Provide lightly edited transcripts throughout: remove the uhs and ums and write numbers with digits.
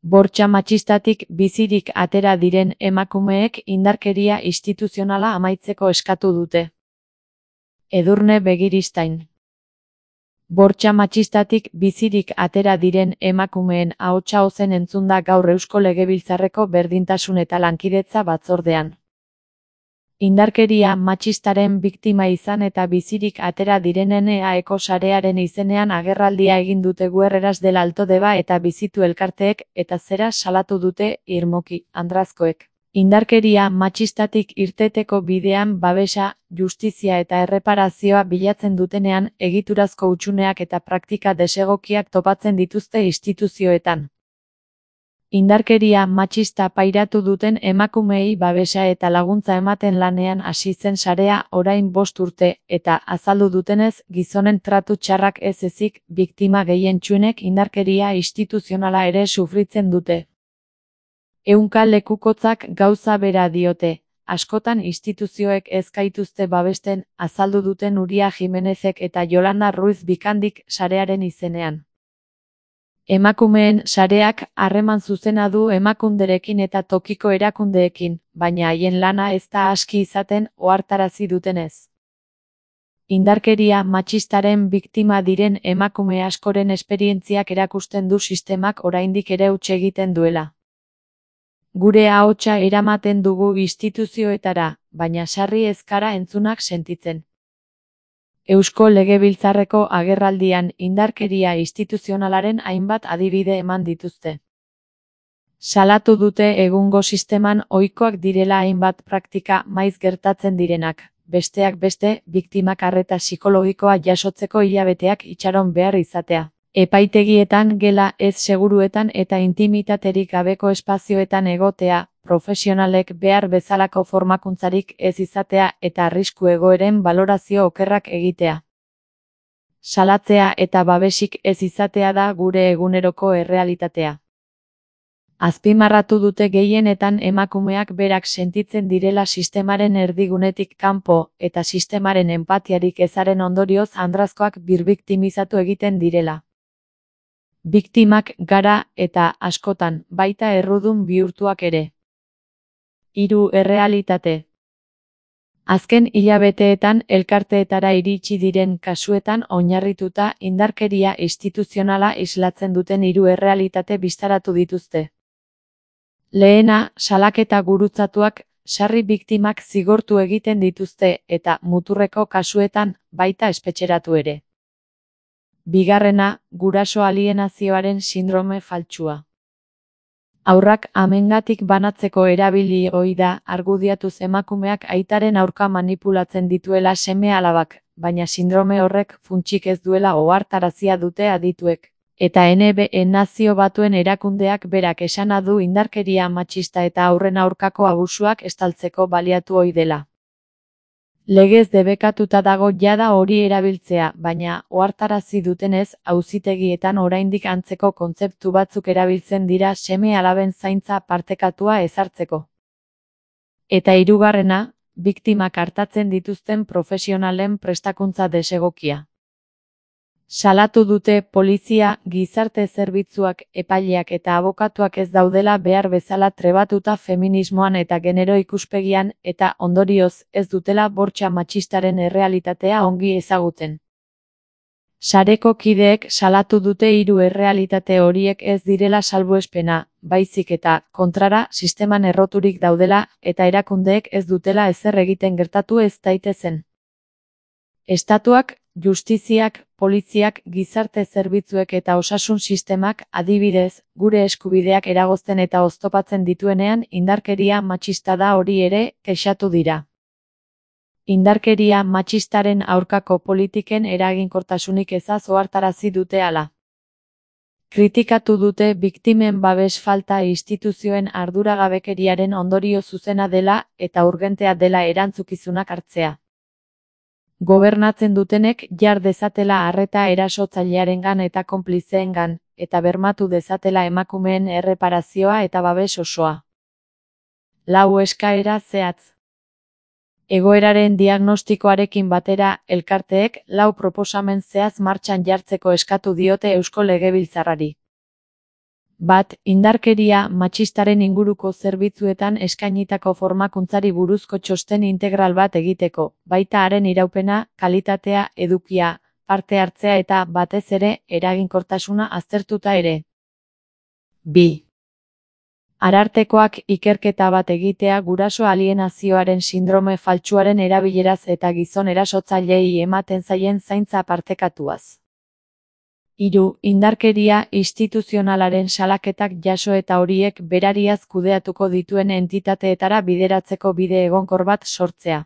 Bortxa matxistatik bizirik atera diren emakumeek indarkeria instituzionala amaitzeko eskatu dute. Edurne Begiristain. Bortxa matxistatik bizirik atera diren emakumeen ahotsa ozen entzun da gaur Eusko Legebiltzarreko Berdintasun eta Lankidetza batzordean. Indarkeria matxistaren biktima izan eta bizirik atera direnen EAEko sarearen izenean agerraldia egin dute Guerreras del Alto Deba eta Bizitu elkarteek eta zera salatu dute irmoki, andrazkoek. Indarkeria matxistatik irteteko bidean babesa, justizia eta erreparazioa bilatzen dutenean egiturazko hutsuneak eta praktika desegokiak topatzen dituzte instituzioetan. Indarkeria matxista pairatu duten emakumeei babesa eta laguntza ematen lanean hasi zen sarea orain 5 urte eta azaldu dutenez gizonen tratu txarrak ez ezik biktima gehientsuenek indarkeria instituzionala ere sufritzen dute. Ehunka lekukotzak gauza bera diote, askotan instituzioek ez gaituzte babesten, azaldu duten Uria Jimenezek eta Yolanda Ruiz Bikandik sarearen izenean. Emakumeen sareak harreman zuzena du emakunderekin eta tokiko erakundeekin, baina haien lana ez da aski izaten ohartarazi dutenez. Indarkeria matxistaren biktima diren emakume askoren esperientziak erakusten du sistemak oraindik ere huts egiten duela. Gure ahotsa eramaten dugu instituzioetara, baina sarri ez gara entzunak sentitzen. Eusko Legebiltzarreko agerraldian indarkeria instituzionalaren hainbat adibide eman dituzte. Salatu dute egungo sisteman ohikoak direla hainbat praktika maiz gertatzen direnak, besteak beste, biktimak arreta psikologikoa jasotzeko hilabeteak itxaron behar izatea. Epaitegietan gela ez seguruetan eta intimitaterik gabeko espazioetan egotea, profesionalek behar bezalako formakuntzarik ez izatea eta arrisku egoeren balorazio okerrak egitea. Salatzea eta babesik ez izatea da gure eguneroko errealitatea. Azpimarratu dute gehienetan emakumeak berak sentitzen direla sistemaren erdigunetik kanpo eta sistemaren empatiarik ezaren ondorioz andrazkoak birbiktimizatu egiten direla. Biktimak gara eta askotan baita errudun bihurtuak ere. 3 errealitate. Azken hilabeteetan elkarteetara iritsi diren kasuetan oinarrituta indarkeria instituzionala islatzen duten 3 errealitate bistaratu dituzte. Lehena, salaketa gurutzatuak, sarri biktimak zigortu egiten dituzte eta muturreko kasuetan baita espetxeratu ere. Bigarrena, guraso alienazioaren sindrome faltsua. Haurrak amengatik banatzeko erabili ohi da argudiatuz emakumeak aitaren aurka manipulatzen dituela seme-alabak, baina sindrome horrek funtsik ez duela ohartarazia dute adituek. Eta NBA Nazio Batuen erakundeak berak esana du indarkeria matxista eta haurren aurkako abusuak estaltzeko baliatu ohi dela. Legez debekatuta dago jada hori erabiltzea, baina ohartarazi dutenez, auzitegietan oraindik antzeko kontzeptu batzuk erabiltzen dira seme-alaben zaintza partekatua ezartzeko. Eta hirugarrena, biktimak artatzen dituzten profesionalen prestakuntza desegokia. Salatu dute polizia, gizarte zerbitzuak, epaileak eta abokatuak ez daudela behar bezala trebatuta feminismoan eta genero ikuspegian eta ondorioz ez dutela bortxa matxistaren errealitatea ongi ezagutzen. Sareko kideek salatu dute 3 errealitate horiek ez direla salbuespena, baizik eta, kontrara, sisteman erroturik daudela eta erakundeek ez dutela ezer egiten gertatu ez daitezen. Estatuak, justiziak, poliziak, gizarte zerbitzuek eta osasun sistemak, adibidez, gure eskubideak eragozten eta oztopatzen dituenean indarkeria matxista da hori ere, kexatu dira. Indarkeria matxistaren aurkako politiken eraginkortasunik ezaz ohartarazi dute hala. Kritikatu dute biktimen babes falta instituzioen arduragabekeriaren ondorio zuzena dela eta urgentea dela erantzukizunak hartzea. Gobernatzen dutenek jar dezatela arreta erasotzailearengan eta konplizeengan, eta bermatu dezatela emakumeen erreparazioa eta babes osoa. 4 eskaera zehatz. Egoeraren diagnostikoarekin batera, elkarteek 4 proposamen zehatz martxan jartzeko eskatu diote Eusko Legebiltzarrari. Bat, indarkeria matxistaren inguruko zerbitzuetan eskainitako formakuntzari buruzko txosten integral bat egiteko, baita haren iraupena, kalitatea, edukia, parte hartzea eta, batez ere, eraginkortasuna aztertuta ere. 2. Arartekoak ikerketa bat egitea guraso alienazioaren sindrome faltsuaren erabileraz eta gizon erasotzaileei ematen zaien zaintza partekatuaz. 3. Indarkeria instituzionalaren salaketak jaso eta horiek berariaz kudeatuko dituen entitateetara bideratzeko bide egonkor bat sortzea.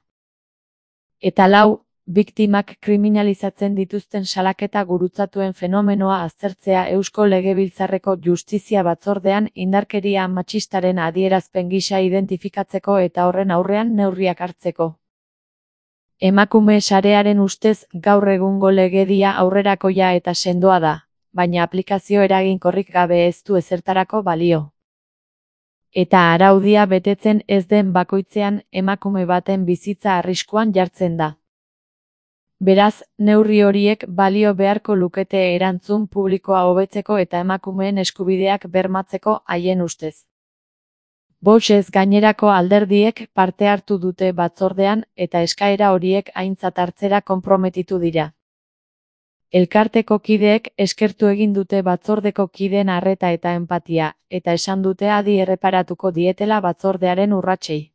Eta 4. Biktimak kriminalizatzen dituzten salaketa gurutzatuen fenomenoa aztertzea Eusko Legebiltzarreko Justizia Batzordean indarkeria matxistaren adierazpen gisa identifikatzeko eta horren aurrean neurriak hartzeko. Emakume sarearen ustez gaur egungo legedia aurrerakoia eta sendoa da, baina aplikazio eraginkorrik gabe ez du ezertarako balio. Eta araudia betetzen ez den bakoitzean emakume baten bizitza arriskuan jartzen da. Beraz, neurri horiek balio beharko lukete erantzun publikoa hobetzeko eta emakumeen eskubideak bermatzeko haien ustez. Voxez gainerako alderdiek parte hartu dute batzordean eta eskaera horiek aintzat hartzera konprometitu dira. Elkarteko kideek eskertu egin dute batzordeko kideen arreta eta enpatia, eta esan dute adi erreparatuko dietela batzordearen urratsei.